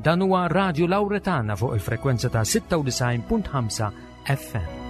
Dan huwa Radio Lauretana fuq il-frekwenza ta' 96.5 FM.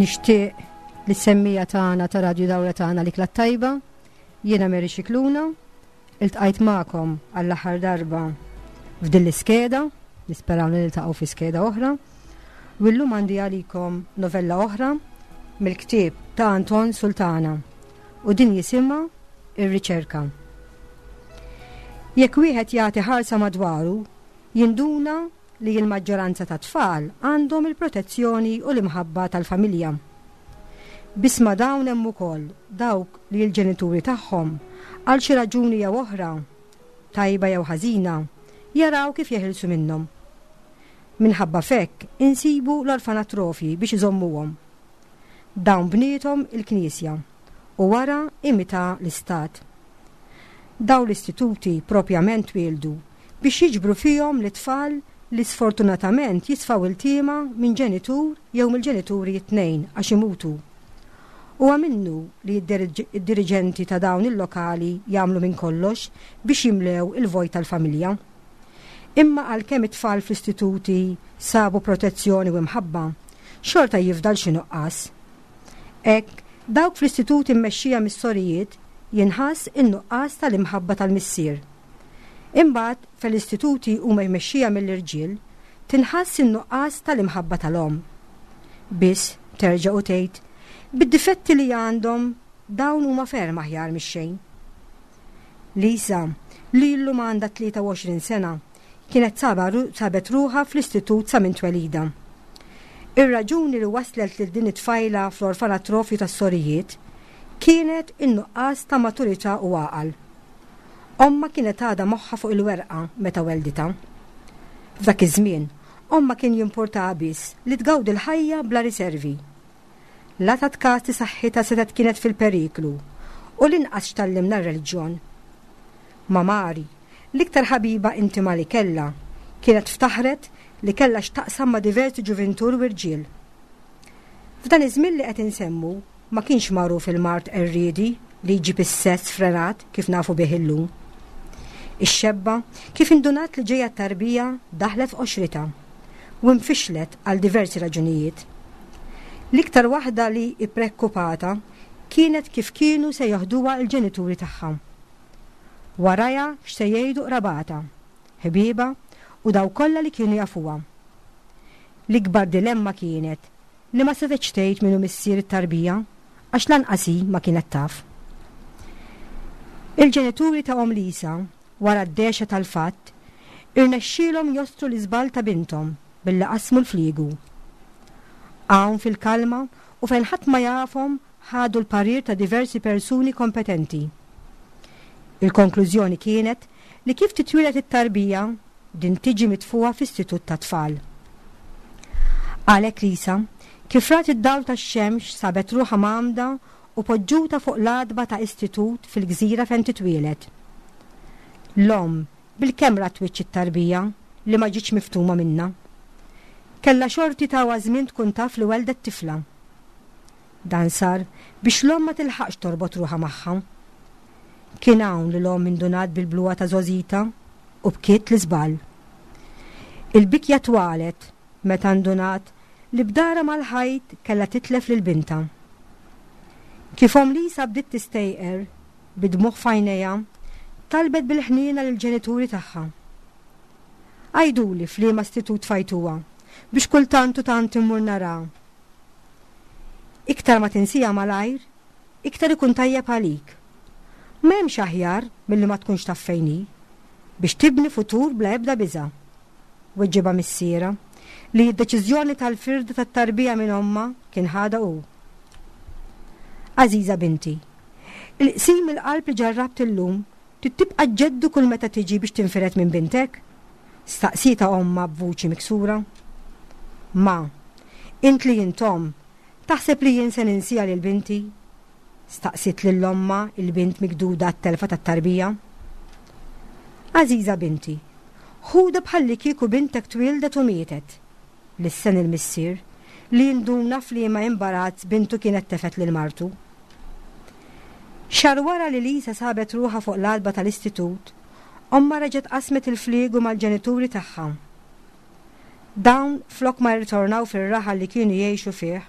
Nixtieq li semmija tagħna ta' Radju Dawra tagħna li tajba, jiena Mary Xikluna, Iltqajt magħkom għall-aħħar darba f'din l-iskeda, nisperaw li niltaqgħu fi skeda oħra. U llum għandi għalikom novella oħra mill-ktieb ta' Anton Sultana u din jisimha Ir-Riċerka. Jekk wieħed jagħti ħarsa madwaru, jinduna li l-maġġoranza tat-tfal għandhom il-protezzjoni u l-imħabba tal-familja. Biss ma' dawn hemm ukoll dawk li l-ġenituri tagħhom, għal xi raġuni jew oħra, tajba jew ħażina, jaraw kif jeħilsu minnhom. Minħabba f'hekk insibu l-orfanatrofji biex iżommuhom. Dawn bniethom il-Knisja u wara imita l-Istat. Dawn l-istituti propjament twieldu biex jiġbru fihom lit-tfal li sfortunatament jisfaw iltiema minn ġenitur jew mill-ġenituri t-tnejn għax imutu. Huwa minnu li d-diriġenti ta' dawn il-lokali jagħmlu minn kollox biex jimlew il-vojt tal-familja. Imma għalkemm it-tfal fl-istituti sabu protezzjoni u imħabba, xorta jifdal xi nuqqas. Hekk, dawk fl-istituti mmexxija mis-sorijiet jinħass in-nuqqas tal-imħabba tal-missier. Imbagħad, fejn l-istituti huma jmexxija mill-irġiel, tinħass in-nuqqas tal-imħabba tal-omm. Biss, terġa' u tgħid, bid-difetti li għandhom, dawn huma ferm aħjar mix-xejn. Lisa, li llum għandha 23 sena, kienet sabet ruħha fl-istitut sa minn twelidha. Ir-raġuni li wasslet lil din it-tfajla fl-orfanatrofju tas-sorijiet kienet in-nuqqas ta' maturità u għaqal. Ommha kienet għadha moħħha fuq il-werqa meta welditha. F'dak iż-żmien, ommha kien jimpurtaha biss li tgawdi l-ħajja bla riservi. La tat kas li saħħitha setgħet kienet fil-periklu u linqas x'tgħallimna r-reliġjon. Ma' Mari, l-iktar ħabiba intima li kellha, kienet ftaħret li kellha x'taqsam ma' diversi ġuvintur u irġiel. F'dan iż-żmien li qed insemmu ma kienx magħruf il-mard qerriedi li jġib is-sess frenat kif nafu bih illum. Ix-xebba, kif indunat li ġejja t-tarbija, daħlet f'qoxritha u nfixlet għal diversi raġunijiet. L-iktar waħda li ipprekkupatha kienet kif kienu se joħduha l-ġenituri tagħha. Warajha x'se jgħidu qrabatha, ħbiebha u dawk kollha li kienu jafuha. L-ikbar dilemma kienet li ma setgħetx tgħid min hu missier it-tarbija għax lanqas hi ma kienet taf. Il-ġenituri ta' omm Lisa, wara d-dehxa tal-fatt, irnexxielhom jostru l-iżball ta' binthom billi qasmu l-fliegu. Hawn fil-kalma u fejn ħadd ma jafhom ħadu l-parir ta' diversi persuni kompetenti. Il-konklużjoni kienet li kif titwieled it-tarbija, din tiġi mitfugħa f'istitut tat-tfal. Għalhekk Lisa, kif rat id-dawl tax-xemx sabet ruħha mgħammda u poġġuta fuq l-għatba ta' istitut fil-gżira fejn titwieled. L-omm bilkemm rat wiċċ it-tarbija li ma ġietx miftuma minnha. Kellha xorti tawha żmien tkun taf li welldet tifla. Dan sar biex l-omm ma tilħaqx torbot ruħha magħha. Kien hawn li l-omm indunat bil-bluha ta' żgħożitha u bkiet l-iżball. Il-bikja twalet meta ndunat li b'darha mal-ħajt kellha titlef lil bintha. Kif omm Lisa bdiet tistejqer, bid-dmugħ f'għajnejha, talbet bil-ħniena lill-ġenituri tagħha. Għiduli f'liema istitut tfajtuha biex kultant u tant immur naraha. Iktar ma tinsiha malajr, iktar ikun tajjeb għalik. M'hemmx aħjar milli ma tkunx taf fejn hi, biex tibni futur bla ebda biża', weġibha missierha, li d-deċiżjoni tal-firda tat-tarbija minn ommha kien ħadha hu. Għażiża binti, il-qsim il-qalb li ġarrabt illum trid tibqa' ġġeddu kull meta tiġi biex tinfired minn bintek? Staqsietha ommha b'vuċi miksura. Ma, int li int omm, taħseb li jien se ninsiha lil binti? Staqsiet lil ommha il-bint mikduda għat-telfa tat-tarbija. Għażiża binti, ħudha bħallikieku bintek twieldet u mietet, lissen il-missier, li induna f'liema imbarazz bintu kienet tefgħet lil martu. Xahar wara li Lisa sabet ruħha fuq l-għatba tal-istitut, ommha reġgħet qasmet il-fliegu mal-ġenituri tagħha. Dawn, flok ma rritornaw fir-raħal li kienu jgħixu fih,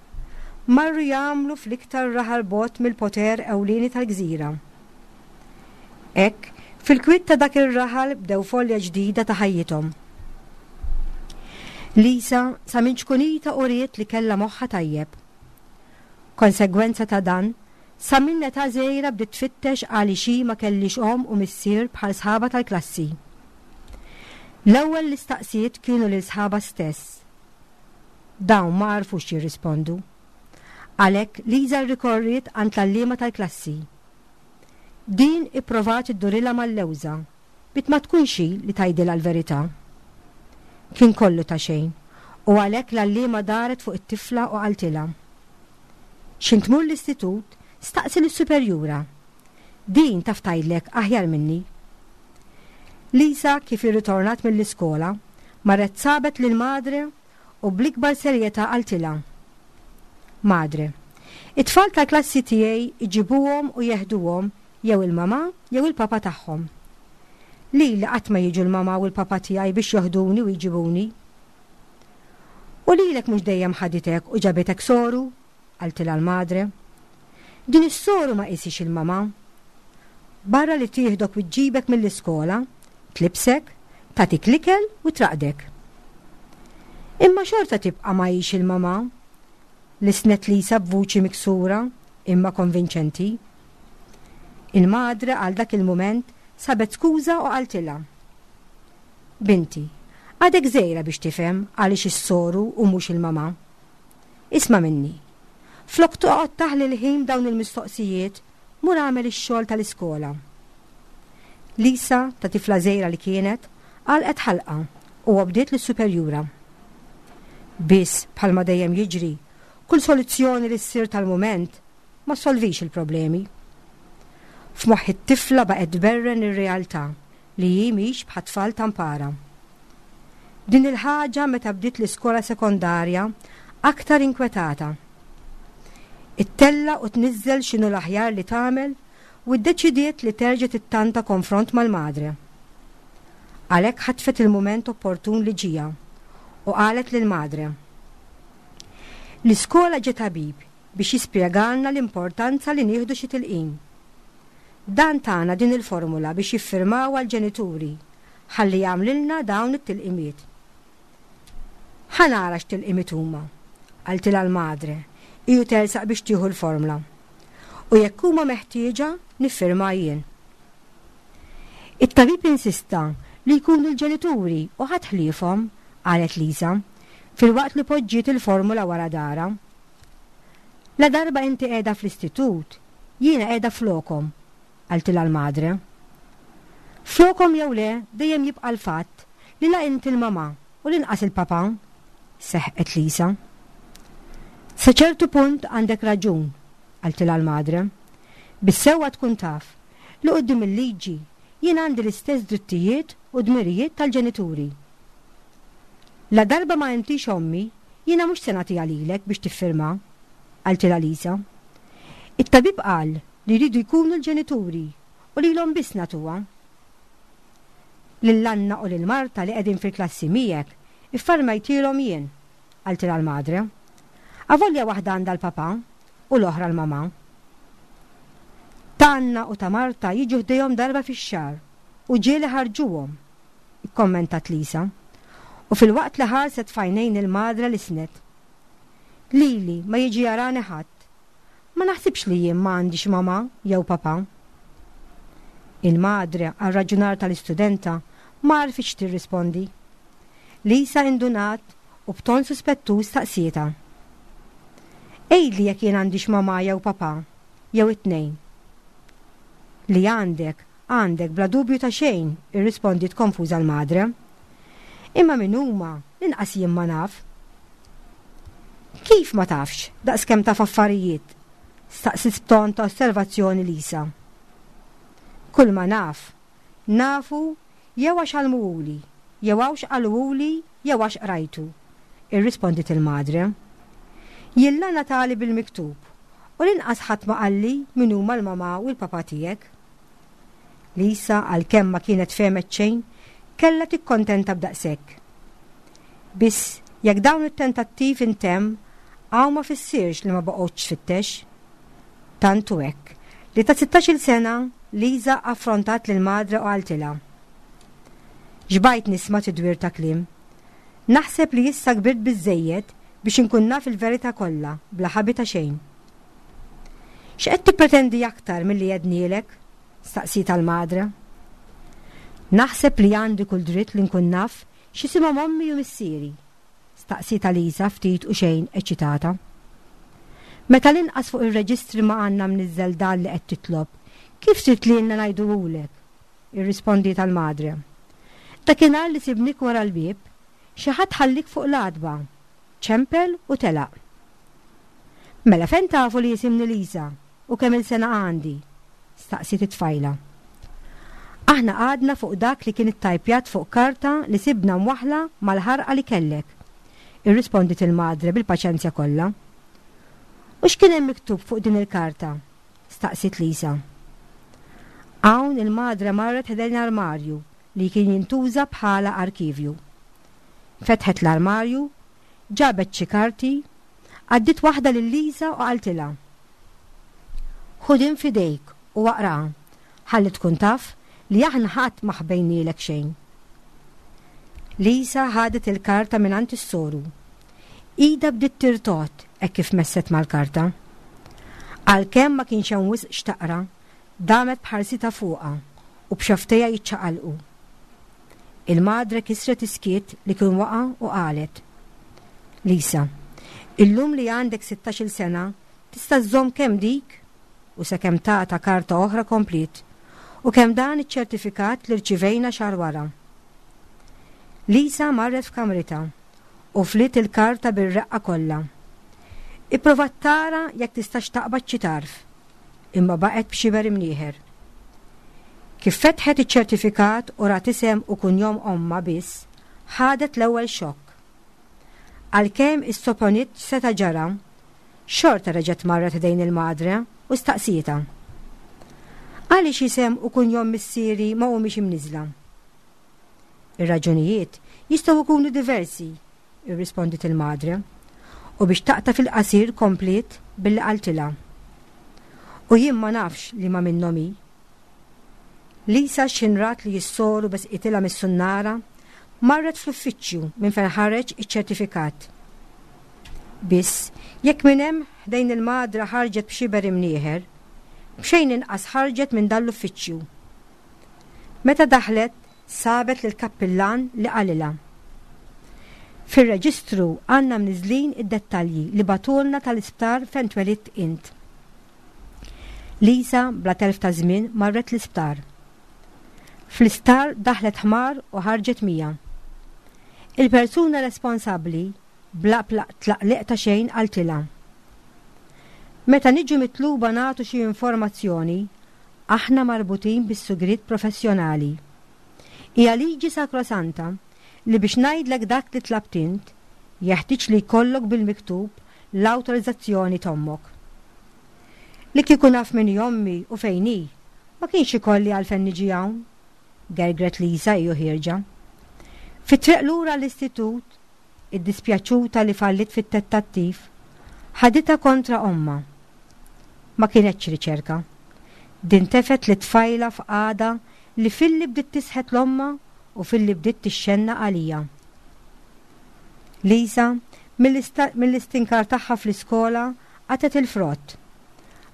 marru jagħmlu fl-iktar raħal bogħod mill-poter ewlieni tal-gżira. Hekk, fil-kwiet ta' dak ir-raħal bdew folja ġdida ta' ħajjithom. Lisa sa minn ċkunitha uriet li kellha moħħha tajjeb. Konsegwenza ta' dan, sa minn età żgħira bdiet tfittex għaliex hi ma kellhiex omm u missier bħal sħabha tal-klassi. L-ewwel li staqsiet kienu lil sħabha stess. Dawn ma għarfux jirrispondu. Għalhekk Lisa rrikorriet għand l-għalliema tal-klassi. Din ipprovat iddurilha mal-lewża bit ma tkunx hi li tgħidilha l-verità. Kien kollu ta' xejn u għalhekk l-għalliema daret fuq it-tifla u qaltilha, X'ħin tmur l-istitut, staqsi lis-superjura. Din taf tgħidlek aħjar minni. Lisa kif irritornat mill-iskola, marret sabet lil Madre u bl-ikbar serjetà qaltilha, Madre, it-tfal tal-klassi tiegħi jġibuhom u jeħduhom jew il-mamà jew il-papà tagħhom. Lili qatt ma jiġu l-mamà u l-papà tiegħi biex joħduni u jġibuni. U lilek mhux dejjem ħaditek u ġabitek soru? qaltilha l-madre. Din is-soru ma qisiex il-mamà. Barra li tieħdok u ġġibek mill-iskola, tlibsek, tagħtik l-ikel u traqdek. Imma xorta tibqa' ma hix il-mamà, lissnet Lisa b'vuċi miksura imma konvinċenti. Il-madre għal dak il-mument sabet skuża u qaltilha, Binti, għadek żgħira biex tifhem għaliex is-soru u mhux il-mamà. Isma' minni. Flok toqgħod taħli l-ħin b'dawn il-mistoqsijiet, mur agħmel ix-xogħol tal-iskola. Lisa, ta' tifla żgħira li kienet, għalqet ħalqha u obdiet lis-superjura. Biss, bħalma dejjem jiġri, kull soluzzjoni li ssir tal-mument ma ssolvix il-problemi. F'moħħ it-tifla baqgħet tberren ir-realtà li hi mhix bħat-tfal ta' mpara. Din il-ħaġa meta bdiet l-iskola sekondarja aktar inkwetata. Ittella' u tniżżel x'inhu l-aħjar li tagħmel u ddeċidiet li terġa' tittanta konfront mal-madre. Għalhekk ħatfet il-mument opportun li ġieha u qalet lill-madre. L-iskola ġie tabib biex jispjegalna l-importanza li nieħdu xi tilqim. Dan tana din il-formula biex jiffirmawha l-ġenituri ħalli jagħmlilna dawn it-tilqimiet. Ħa nara x'tilqimiet huma, qaltilha l-madre, hi u tersaq biex tieħu l-formla. U jekk huma meħtieġa, niffirma jien. It-tabib insista li jkunu l-ġenituri u ħadd ħliefhom, qalet Lisa, filwaqt li poġġiet il-formula wara darha. Ladarba inti qiegħda fl-istitut, jiena qiegħda flokhom, qaltilha l-madre. Flokhom jew le, dejjem jibqa' l-fatt li la inti l-mamà u linqas il-papà, seħqet Lisa. Sa ċertu punt għandek raġun, qaltilha l-madre. Bis-sewwa tkun taf li quddiem il-liġi jien għandi l-istess drittijiet u dmirijiet tal-ġenituri. Ladarba ma intix ommi, jiena mhux se nagħtiha lilek biex tiffirma, qaltilha Lisa. It-tabib qal li jridu jkunu l-ġenituri u lilhom biss nagħtuha. Lil Anna u lil Marta li qegħdin fil-klassi miegħek iffarmajtilhom jien, qaltilha l-madre. Avolja waħda għandha l-papà u l-oħra l-mamà. Ta' Anna u ta' Marta jiġu ħdejhom darba fix-xahar u ġieli ħarġuhom, ikkommentat Lisa. U filwaqt li ħarset f'għajnejn il-madre lissnet. Lili ma jiġi jarani ħadd. Ma naħsibx li jien ma għandix mamà jew papà. Il-madre għar-raġunar tal-istudenta ma għarfitx tirrispondi. Lisa indunat u b'ton suspettuż staqsietha. Għidli jekk jien għandix mamà jew papà. jew it-tnejn. Li għandek, għandek bla dubju ta' xejn, irrispondiet konfuża l-madre. Imma min huma, linqas jien ma naf. Kif ma tafx, daqskemm taf affarijiet? staqsiet b'ton ta' osservazzjoni Lisa. Kulma naf, nafu jew għax għallmuhuli, jew għawx qaluhuli jew għax qrajtu, irrispondiet il-madre. Jien la ngħatali bil-miktub u linqas ħadd ma qalli min huma l-mamà u l-papà tiegħek. Lisa għalkemm ma kienet fehmet xejn, kellha tikkontenta b'daqshekk. Biss jekk dawn it-tentattiv intemm hawn ma fissirx li ma boqgħodx tfittex. Tant hu hekk, li ta' sittax-il sena Lisa affrontat lil Madre u qaltilha, Xbajt nisma' tidwir ta' kliem. Naħseb li issa kbirt biżżejjed biex inkun naf il-verità kollha bla ħabi ta' xejn. X'qed tippretendi aktar milli għednielek? staqsietha l-Madre. Naħseb li għandi kull dritt li nkun naf x'isimhom ommi u missieri, staqsietha Lisa ftit u xejn eċċitata. Meta linqas fuq ir-reġistri ma għandna mniżżel dan li qed titlob, kif trid lilna ngħiduhulek? irrispondietha l-Madre. Dakinhar li sibnik wara l-bieb, xi ħadd ħalliek fuq l-għatba, ċempel u telaq. Mela fejn tafu li jisimni Lisa u kemm-il sena għandi? staqsiet it-tfajla. Aħna qgħadna fuq dak li kien ittajpjat fuq karta li sibna mwaħħla mal-ħarqa li kellek, irrispondiet il-madre bil-paċenzja kollha. U x'kien hemm miktub fuq din il-karta? staqsiet Lisa. Hawn il-madre marret ħdejn armarju li kien jintuża bħala arkivju. Fetħet l-armarju, ġabet xi karti, għaddiet waħda lil Lisa u qaltilha, Ħu din f'idejk u aqraha ħalli tkun taf li aħna ħadd ma ħbejnielek xejn. Lisa ħadet il-karta mingħand is-soru. Idha bdiet tirtogħod hekk kif messet mal-karta. Għalkemm ma kienx hemm wisq x'taqra, damet b'ħarsitha fuqha u b'xofftejha jiċċaqalqu. Il-madre kisret is-skiet li kien waqa' u qalet, Lisa, illum li għandek sittax-il sena tista' żżomm kemm dik, u sakemm tagħta karta oħra kompliet, u kemm dan iċ-ċertifikat li rċivejna xahar wara. Lisa marret f'kamritha u fliet il-karta bir-reqqa kollha. Ipprovat tara jekk tistax taqbad xi tarf, imma baqgħet b'xiber imnieħer. Kif fetħet iċ-ċertifikat u rat isem u kunjom ommha biss, ħadet l-ewwel xokk. Għalkemm issoponiet x'seta' ġara, xorta reġgħet marret ħdejn il-madre u staqsietha. Għaliex isem u kunjom missieri ma humiex imniżżla? Ir-raġunijiet jistgħu jkunu diversi, irrispondiet il-madre, u biex taqta' fil-qasir kompliet billi qaltilha, U jien ma nafx liema minnhom hi. Lisa x'ħin rat li s-soru besqitilha mis-sunnara, marret fl-uffiċċju minn fejn ħareġ iċ-ċertifikat. Biss, jekk minn hemm ħdejn il-madre ħarġet b'xiber imnieħer, b'xejn inqas ħarġet minn dan l-uffiċċju. Meta daħlet, sabet lill-kappillan li qalilha, Fir-reġistru għandna mniżżlin id-dettalji li bagħtulna tal-isptar fejn twelidt int. Lisa bla telf ta' żmien marret l-isptar. Fl-isptar daħlet ħmar u ħarġet mija. Il-persuna responsabbli bla tlaqliq ta' xejn qaltilha, Meta niġu mitluba nagħtu xi informazzjoni, Aħna marbutin bis-sigriet professjonali. Hija liġi sakrosanta li biex ngħidlek dak li tlabt int, jeħtieġ li jkollok bil-miktub l-awtorizzazzjoni t'ommok. Li kieku naf min hi ommi u fejn hi, ma kienx ikolli għalfejn niġi hawn, gergret Lisa hi u ħierġa. Fit-triq lura għall-istitut, iddispjaċuta li falliet fit-tettattiv, ħaditha kontra ommha. Ma kinetx riċerka. Din tefgħet lit-tfajla f'qagħda li filli bdiet tisħet 'l ommha u filli bdiet tixxennaq għalija. Lisa, mill-istinkar tagħha fl-iskola qatgħet il-frott.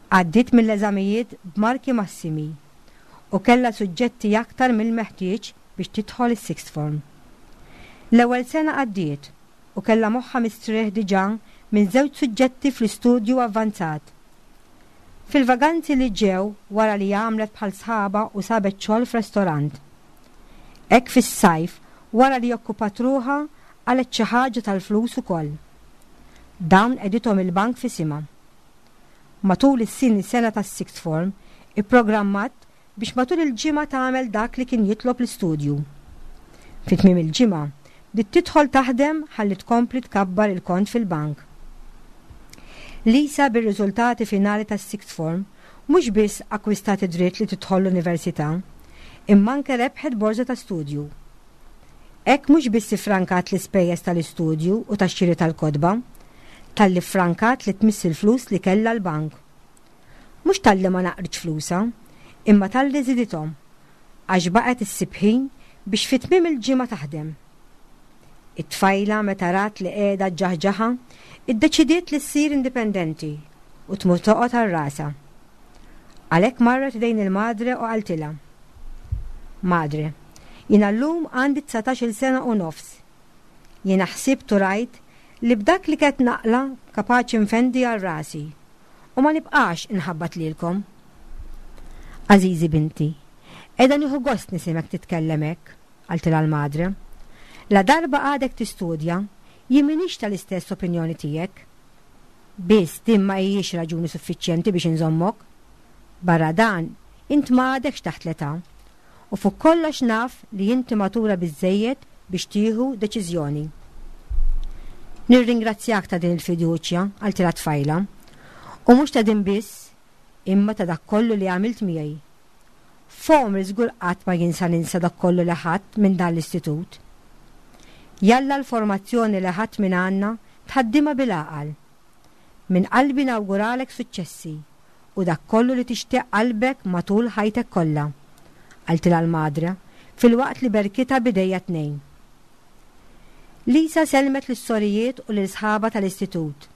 Għaddiet mill-eżamijiet b'marki massimi u kellha suġġetti aktar mill-meħtieġ biex tidħol is-sixth form. L-ewwel sena għaddiet u kellha moħħha mistrieħ diġà minn żewġ suġġetti fl-istudju avvanzat. Fil-vaganzi li ġew wara li għamlet bħal sħabha u sabet xogħol f'restorant. Hekk fis-sajf wara li okkupat ruħha qalgħet xi ħaġa tal-flus ukoll. Dawn qegħdithom il-bank f'isimha. Matul is-tieni sena tas-sixth form ipprogrammat biex matul il-ġimgħa tagħmel dak li kien jitlob l-istudju. Fi tmiem il-ġimgħa, bdiet tidħol taħdem ħalli tkompli tkabbar il-kont fil-bank. Lisa bir-riżultati finali tas-sixth form mhux biss akkwistat id-dritt li tidħol l-università, imma anke rebħet borża ta' studju. Hekk mhux biss iffrankat l-ispejjeż tal-istudju u tax-xiri tal-kotba, talli ffrankat li tmiss il-flus li kellha l-bank. Mhux talli ma naqritx flusha, imma talli żidithom, għax baqgħet issib ħin biex fi tmiem il-ġimgħa taħdem. It-tfajla meta rat li qiegħda ġġaħġaħha, iddeċidiet li ssir indipendenti u tmur toqgħod għal rasha. Għalhekk marret ħdejn il-madre u qaltilha, Madre, jiena llum għandi 19-il sena u nofs. Jiena ħsibt u rajt li b'dak li qed naqla' kapaċi nfendi għal rasi u ma nibqax inħabbat lilkom. Għażiżi binti, qiegħda nieħu gost nisimgħek titkellem hekk, qaltilha l-madre. Ladarba għadek tistudja, jien m'iniex tal-istess opinjoni tiegħek. Biss din ma hijiex raġuni suffiċjenti biex inżommok. Barra dan, int ma għadekx taħt l-età. U fuq kollox naf li inti matura biżżejjed biex tieħu deċiżjoni. Nirringrazzjak ta' din il-fiduċja, qaltilha t-tfajla. U mhux ta' din biss, imma ta' dak kollu li għamilt miegħi. F'għomri żgur qatt ma jien sa ninsa dak kollu li ħadt minn dan l-istitut. Jalla l-formazzjoni li ħadt minn għandna tħaddimha bil-għaqal. Minn qalbi nawguralek suċċessi u dak kollu li tixtieq qalbek matul ħajtek kollha, qaltilha l-madre filwaqt li berkitha b'idejha t-tnejn. Lisa sellmet lis-sorijiet u lil sħabha tal-istitut.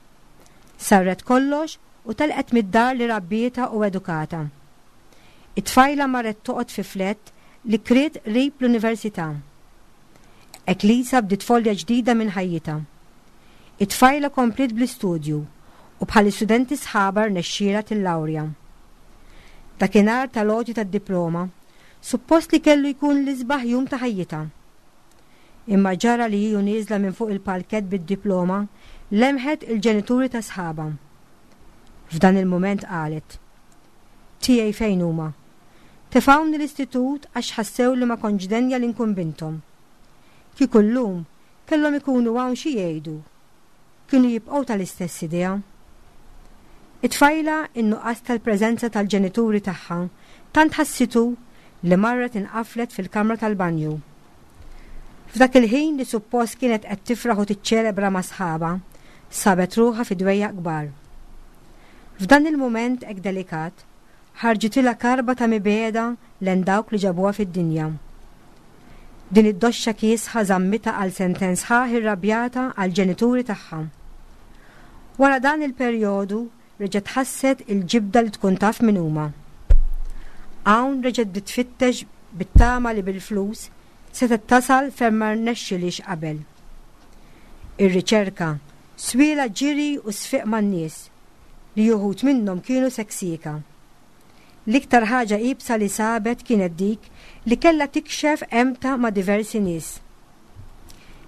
Sarret kollox u telqet mid-dar li rabbietha u edukatha. It-tfajla marret toqgħod fi flett li kriet qrib l-università. Hekk Lisa bdiet folja ġdida minn ħajjitha. It-tfajla kompliet bl-istudju u bħall-istudenti sħabha rnexxielha tillawrja. Dakinhar tal-għoti tad-diploma, suppost li kellu jkun l-isbaħ jum ta' ħajjitha. Imma ġara li hi u nieżla minn fuq il-palkett bid-diploma lemħet il-ġenituri ta' sħabha. F'dan il-mument qalet, Tiegħi fejn huma? Tefgħuni l-istitut għax ħassew li ma kontx denja li nkun binthom. Kieku llum kellhom ikunu hawn xi jgħidu? Kienu jibqgħu tal-istess idea? It-tfajla in-nuqqas tal-preżenza tal-ġenituri tagħha tant ħassitu li marret inqaflet fil-kamra tal-banju. F'dak il-ħin li suppost kienet qed tifraħ u tiċċelebra ma' sħabha, sabet ruħha fi dwejjaq kbar. F'dan il-mument hekk delikat, ħarġitilha karba ta' mibegħda len dawk li ġabuha fid-dinja. Din id-doxxa kiesħa żammitha għal sentejn sħaħ irrabjata għall-ġenituri tagħha. Wara dan il-perjodu reġgħet ħasset il-ġibda li tkun taf min huma. Hawn reġgħet bdiet tfittex bit-tama li bil-flus setgħet tasal fejn ma rnexxilhiex qabel. Ir-riċerka swielha ġiri u sfiq man-nies li uħud minnhom kienu seksieka. L-iktar ħaġa iebsa li sabet kienet dik li kellha tikxef għemtha ma' diversi nies.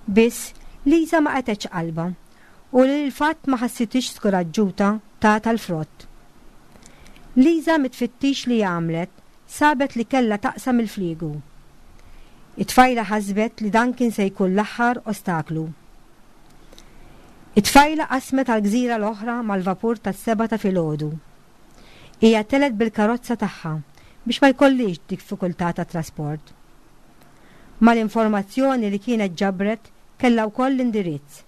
Biss, Lisa ma qatgħetx qalbha u li l-fatt ma ħassithiex skuraġġuta tatha l-frott. Lisa mit-tfittix li għamlet sabet li kellha taqsam il-fliegu. It-tfajla ħasbet li dan kien se jkun l-aħħar ostaklu. It-tfajla qasmet għall-gżira l-oħra mal-vapur tas-sebgħa ta' filgħodu. Hija telgħet bil-karozza tagħha biex ma jkollhiex diffikultà ta' trasport. Mal-informazzjoni li kienet ġabret kellha wkoll l-indirizz.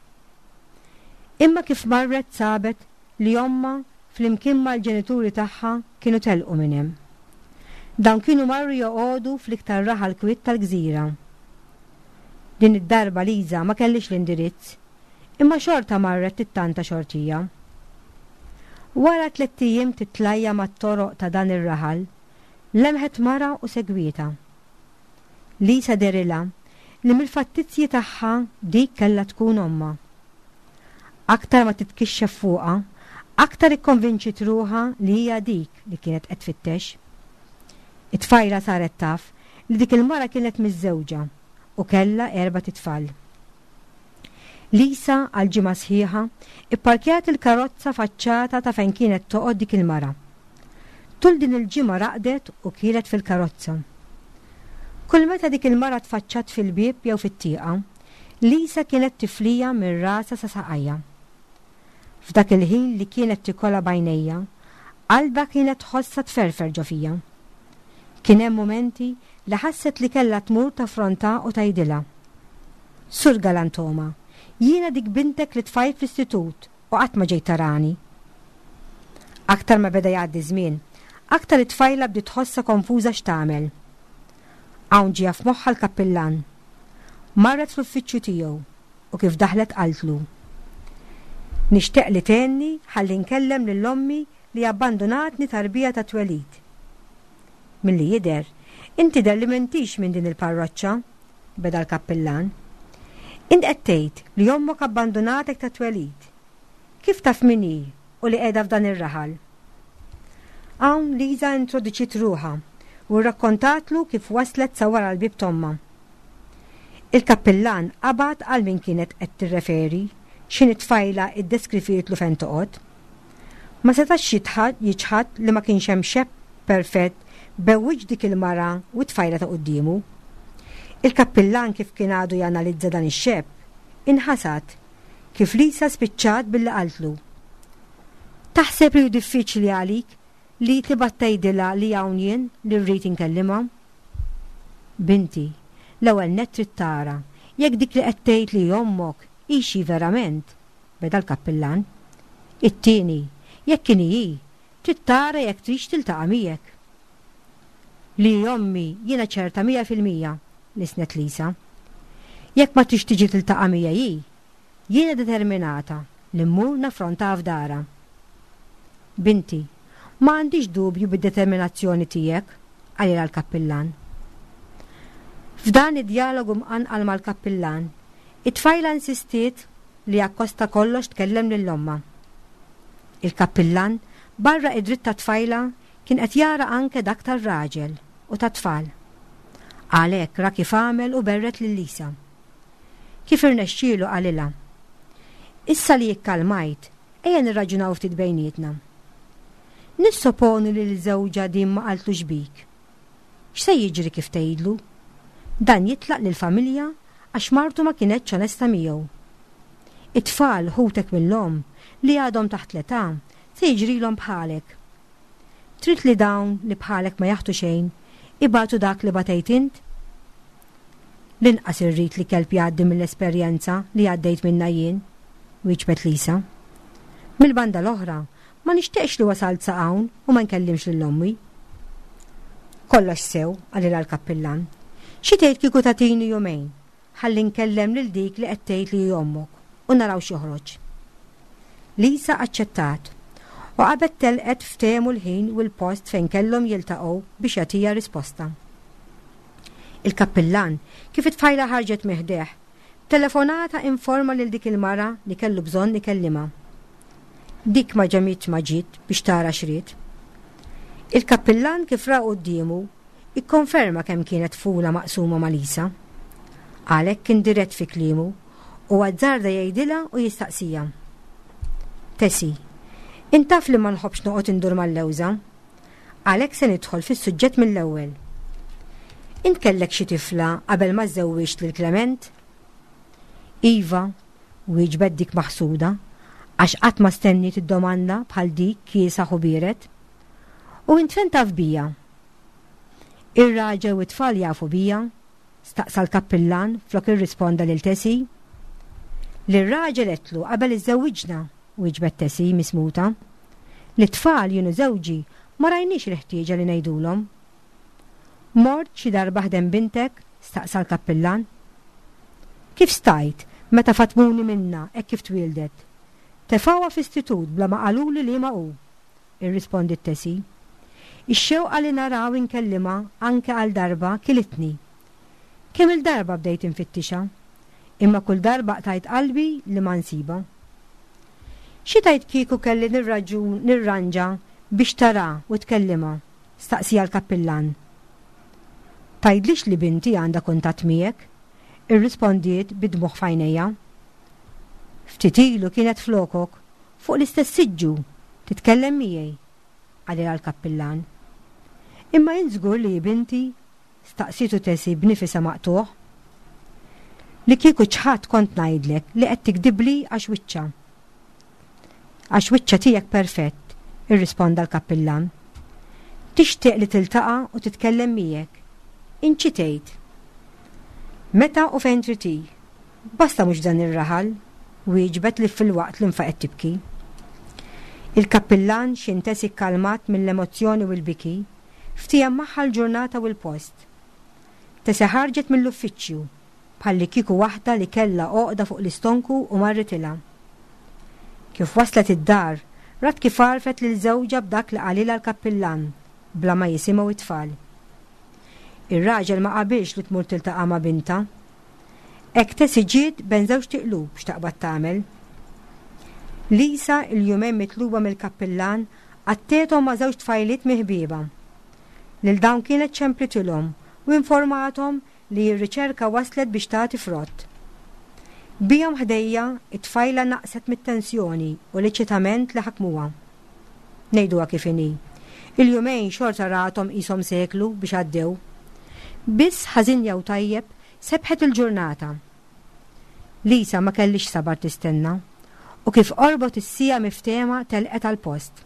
Imma kif marret sabet li ommha flimkien mal-ġenituri tagħha kienu telqu minn hemm. Dawn kienu marru joqogħdu fl-iktar raħal kwiet tal-gżira. Din id-darba Liza ma kellhiex l-indirizz, imma xorta marret tittanta xortija. Wara tlett ijiem titlajja mat-toroq ta' dan ir-raħal, lemħet mara u segwietha. Lisa dehrilha li mill-fattizji tagħha dik kellha tkun ommha. Aktar ma titkixxef fuqha, Aktar ikkonvinċiet ruħha li hija dik li kienet qed tfittex. It-tfajla saret taf li dik il-mara kienet miżżewġa u kellha erbat itfal. Lisa għal ġimgħa sħiħa ipparkjat il-karozza faċċata ta' fejn kienet toqgħod dik il-mara. Tul din il-ġimgħa raqdet u kielet fil-karozza. Kull meta dik il-mara tfaċċat fil-bieb jew fit-tieqa, Lisa kienet tifliha minn rasha sa saqajha. F'dak il-ħin li kienet tikolha b'għajnejha, qalbha kienet tħossha tferfer ġo fija. Kien hemm mumenti li ħasset li kellha tmur taffrontha u tgħidilha, Sur Galantoma, jiena dik bintek li tfajt fl-istitut u qatt ma ġejt tarani. Aktar ma beda jgħaddi ż-żmien, aktar it-tfajla bdiet tħossha konfuża x'tagħmel. Hawn ġieha f'moħħha l-kappillan. Marret fl-uffiċċju tiegħu u kif daħlet qaltlu, Nixteq li tgħinni ħalli nkellem lil ommi li abbandunatni tarbija tat-twelid. Milli jidher, int tidher li m'intix minn din il-parroċċa, beda l-kappillan. Int qed tgħid li ommok abbandunatek tat-twelid. Kif taf min hi u li qiegħda f'dan ir-raħal? Hawn Liza introduċiet ruħha u rrakkontatlu kif waslet sa wara l-bieb t'ommha. Il-kappillan qabad għal min kienet qed tirreferi x'ħin it-tfajla iddeskrivietlu fejn toqgħod. Ma setax jiċħad li ma kienx hemm xebh perfett bejn wiċċ dik il-mara u t-tfajla ta' quddiemu. Il-kappillan kif kien għadu janalizza dan ix-xebh, inħasad kif Lisa spiċċat billi qaltlu, Taħseb li hu diffiċli għalik li tibgħat tgħidilha li hawn jien li rrid inkellimha? Binti, l-ewwel nett trid tara jekk dik li qed tgħid li hi ommok hix hi verament, beda l-kappillan. It-tieni, jekk inhi hi, trid tara jekk tridx tiltaqa' miegħek. Li hi ommi jiena ċerta 100%, lissnet Lisa. Jekk ma tridx tiġi tiltaqa' miegħi hi, Jiena determinata li mmur naffrontaha f'darha. Binti, ma għandix dubju bid-determinazzjoni tiegħek, qalilha l-kappillan. F'dan id-djalogu mqanqal mal-kappillan, it-tfajla insistiet li akkost ta' kollox tkellem lil ommha. Il-kappillan, barra id-dritt tat-tfajla, kien qed jara anke dak tar-raġel u tat-tfal. Għalhekk ra kif għamel u berred lil Lisa. Kif irnexxielu qalilha, Issa li ikkalmajt, ejja nirraġunaw ftit bejnietna. Nissoponu li lil żewġha din ma qaltlux bik. X'se jiġri kif tgħidlu? Dan jitlaq lill-familja għax martu ma kinetx onesta miegħu. It-tfal, ħutek mill-omm, li għadhom taħt l-età, se jiġrilhom bħalek. Trid li dawn, li bħalek ma jaħtu xejn, ibatu dak li batejt int? L-inqas irrid li kelb jgħaddi mill-esperjenza li għaddejt minnha jien, wieġbet Lisa. Mill-banda l-oħra, ma nixtieqx li wasalt sa hawn u ma nkellimx lil ommi. Kollox sew, qalilha l-kappillan. Xi tgħid kieku tagħtini jumejn ħalli nkellem lil dik li qed tgħid li hi ommok u naraw x'joħroġ. Lisa aċċettat u qabel telqet ftehmu l-ħin u l-post fejn kellhom jiltaqgħu biex jagħtiha risposta. Il-kappillan, kif it-tfajla ħarġet minn ħdejh, b'telefonata informa lil dik il-mara li kellu bżonn ikellimha. Dik ma ġemitx ma ġiet biex tara x'ried. Il-kappillan kif ra quddiemu, ikkonferma kemm kienet tfula maqsuma ma' Lisa. Għalhekk kien dirett fi kliemu u azzarda jgħidilha u jistaqsiha. Tessie, int taf li ma nħobbx noqgħod indur mal-lewża. Għalhekk se nidħol fis-suġġett mill-ewwel. Int kellek xi tifla qabel ma żżewwiġt lil Clement? Iva, wieġbet dik maħsuda, għax qatt ma stenniet id-domanda bħal dik kiesaħ u biered. U int fejn taf bija? Ir-raġel u t-tfal jafu bija? staqsa l-kappillan flok irrisponda lil Tessie. Lir-raġel għedtlu qabel iżżewwiġna, wieġbet Tessie mismuta. Lit-tfal jien u żewġi ma rajniex il-ħtieġa li ngħidulhom. Mort xi darba ħdejn bintek? staqsa l-kappillan. Kif stajt, meta fatmuni minnha hekk kif twieldet? Tefgħuha f'istitut bla ma qaluli liema hu, irrispondiet Tessie. Ix-xewqa li nara u nkellimha anke għal darba kilitni. Kemm-il darba bdejt infittixha, imma kull darba qtajt qalbi li ma nsibha. Xi tgħid kieku kelli nirraġun nirranġa biex tara u tkellimha? staqsieha l-kappillan. Tgħidlix li binti għandha kuntatt miegħek, irrispondiet bid-dmugħ f'għajnejha. Ftit ilu kienet flokok, fuq l-istess siġġu, titkellem miegħi, qalilha l-kappillan. Imma int żgur li hi binti? staqsietu Tessie b'nifisha maqtugħ. Li kieku ċħadt kont ngħidlek li qed tigdibli għax wiċċha. Għax wiċċha tiegħek perfett, irrisponda l-kappillan. Tixtieq li tiltaqa' u titkellem miegħek. Int xi tgħid? Meta u fejn trid hi. Basta mhux f'dan ir-raħal, wieġbet li filwaqt li nfaqgħet tibki. Il-kappillan x'in Tessie kkalmat mill-emozzjoni u l-biki, ftiehem magħha l-ġurnata u l-post. Tessie ħarġet mill-uffiċċju, bħallikieku waħda li kellha għoqda fuq l-istonku u marritilha. Kif waslet id-dar, rat kif għarfet lil żewġha b'dak li qalilha l-kappillan bla ma jisimgħu t-tfal. Ir-raġel ma qabilx li tmur tiltaqa' ma' bintha. Hekk Tessie ġiet bejn żewġt iqlub x'taqbad tagħmel. Lisa, il-jumejn mitluba mill-kappillan, qattgħethom ma' żewġ tfajliet minn ħbiebha. Lil dawn kienet ċemplitilhom u informathom li r-riċerka waslet biex tagħti frott. Bihom ħdejja, it-tfajla naqset mit-tensjoni u l-eċitament li ħakmuha. Ngħiduha kif inhi, il-jumejn xorta rathom qishom seklu biex għaddew. Biss ħażin jew tajjeb, sebħet il-ġurnata. Lisa ma kellhiex sabar tistenna u kif qorbot is-siegħa miftehma telqet għall-post.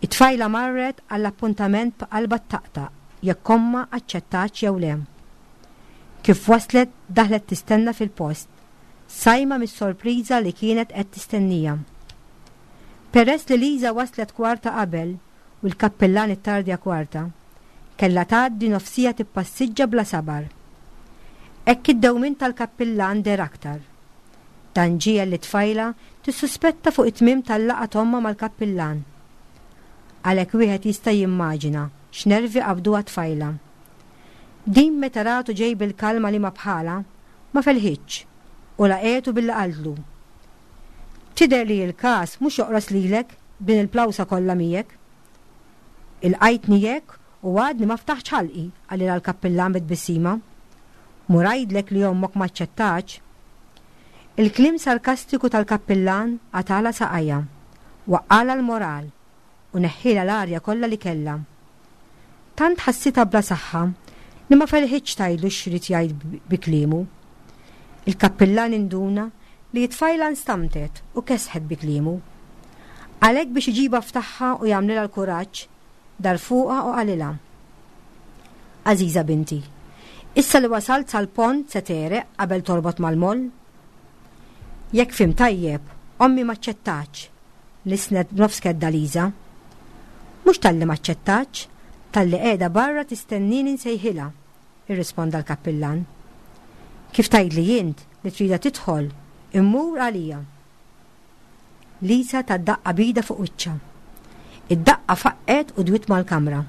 It-tfajla marret għall-appuntament b'qalbha ttaqtaq jekk ommha aċċettatx jew le. Kif waslet daħlet tistenna fil-post, sajma mis-sorpriża li kienet qed tistennija. Peress li Lisa waslet kwarta qabel u l-kappillan ittardja kwarta, kellha tgħaddi nofs siegħa tippassiġġa bla sabar. Hekk id-dewmien tal-kappillan deher aktar. Dan ġiegħel lit-tfajla tissuspetta fuq it-tmiem tal-laqgħa t'ommha mal-kappillan. Għalhekk wieħed jista' jimmaġina x'nervi qabduha t-tfajla. Din meta ratu ġej bil-kalma liema bħalha, ma felħitx u laqgħetu billi qaltlu, Tidher li l-każ mhux joqros lilek b'din il-plawsa kollha miegħek. Ilqajtni hekk u għadni ma ftaħtx ħalqi, qalilha l-kappillan bi tbissima. Mur għidlek li ommok m'aċċettatx. Il-kliem sarkastiku tal-kappillan qatagħlha saqajha, waqqagħlha l-moral u neħħielha l-arja kollha li kellha. Tant ħassitha bla saħħa li ma felħitx tgħidlu x'ried jgħid bi kliemu. Il-kappillan induna li t-tfajla nstamtet u kesħet bi kliemu. Għalhekk biex iġibha f'tagħha u jagħmlilha l-kuraġġ, dar fuqha u qalilha, Għażiża binti, issa li wasalt sal-pont se tegħreq qabel torbot mal-moll? Jekk fhimt tajjeb, ommi m'aċċettatx, lissnet b'nofs kedda Liża. Mhux talli m'aċċettatx, talli qiegħda barra tistennieni nsejħilha, irrisponda l-kappillan. Kif tgħidli int li tridha tidħol, immur għalija. Lisa tat daqqa b'idha fuq wiċċha. Id-daqqa faqqgħet u dwiet mal-kamra.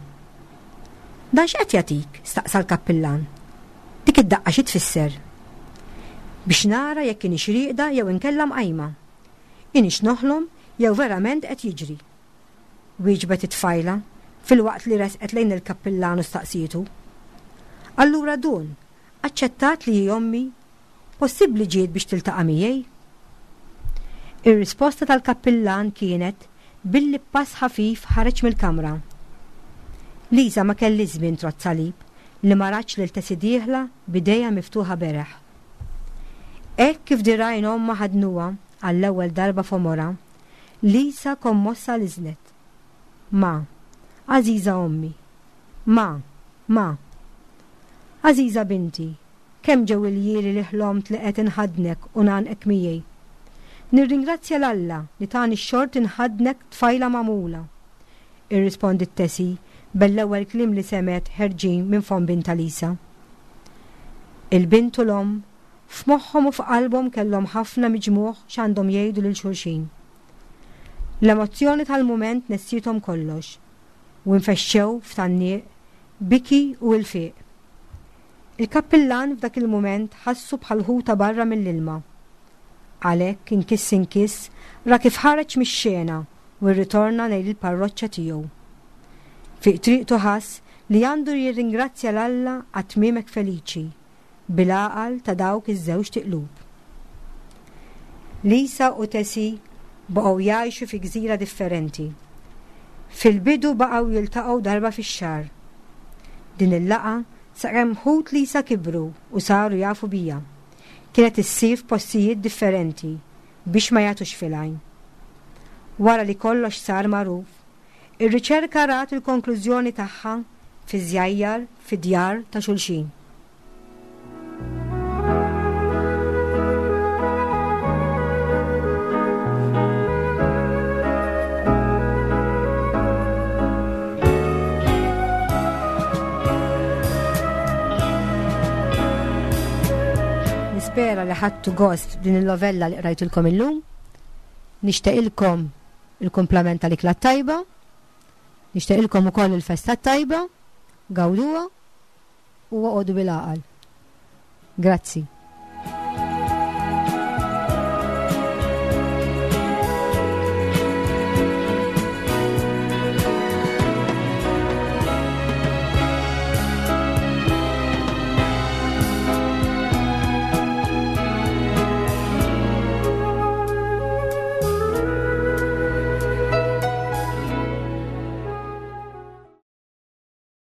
Dan x'qed jagħtik? staqsa l-kappillan. Dik id-daqqa xi tfisser? Biex nara jekk inhix rieqda jew inkella mqajma. Inhix noħlom jew verament qed jiġri. Wieġbet it-tfajla, filwaqt li resqet lejn il-kappillan u staqsietu. Allura Dun, aċċettat li hi ommi? Possibbli ġiet biex tiltaqa' miegħi? Ir-risposta tal-kappillan kienet billi b'pass ħafif ħareġ mill-kamra. Liza ma kellhiex żmien trodd salib li ma ratx lil Tessie dieħla b'idejha miftuħa beraħ. Hekk kif dirgħajn ommha ħadnuha għall-ewwel darba f'għomorha, Lisa kommossa liżnet. Ma, għażiża ommi. Ma, ma. Għażiża binti, Kemm ġew iljieli li ħlomt li qed inħaddnek u ngħannqek miegħi. Nirringrazzja 'l Alla li tani x-xorti nħaddnek tfajla magħmula. Irrispondiet Tessie bell-ewwel kliem li semgħet ħerġin minn fomm bintha Lisa. Il-bint u l-omm, f'moħħhom u f'qalbhom kellhom ħafna miġmugħ x'għandhom jgħidu lil xulxin. L-emozzjoni tal-mument nessiethom kollox u infexxew f'tgħanniq, biki u ilfiq. Il-kappillan f'dak il-mument ħassu bħal ħuta barra mill-ilma. Għalhekk inkiss inkiss ra kif ħareġ mix-xena u rritorna lejn il-parroċċa tiegħu. Fi triqtu ħass li għandu jirringrazzja 'l Alla għat-tmiem hekk feliċi, bil-għaqal ta' dawk iż-żewġt iqlub. Lisa u Tessie baqgħu jgħixu fi gżira differenti. Fil-bidu baqgħu jiltaqgħu darba fix-xahar. Din il-laqgħa sakemm ħut Lisa kibru u saru jafu biha. Kienet issir f'postijiet differenti biex ma jagħtux fil-għajn. Wara li kollox sar magħruf, ir-riċerka rat il-konklużjoni tagħha fi żjajjar fid-djar ta' xulxin. Nispera li ħadtu gost din il-novella li qrajtilkom illum. Nixtieqilkom il-kumplament tal-ikla tajba. Nixtieqilkom ukoll il-festa tajba. Gawduha u oqogħdu bil-għaqal. Grazzi.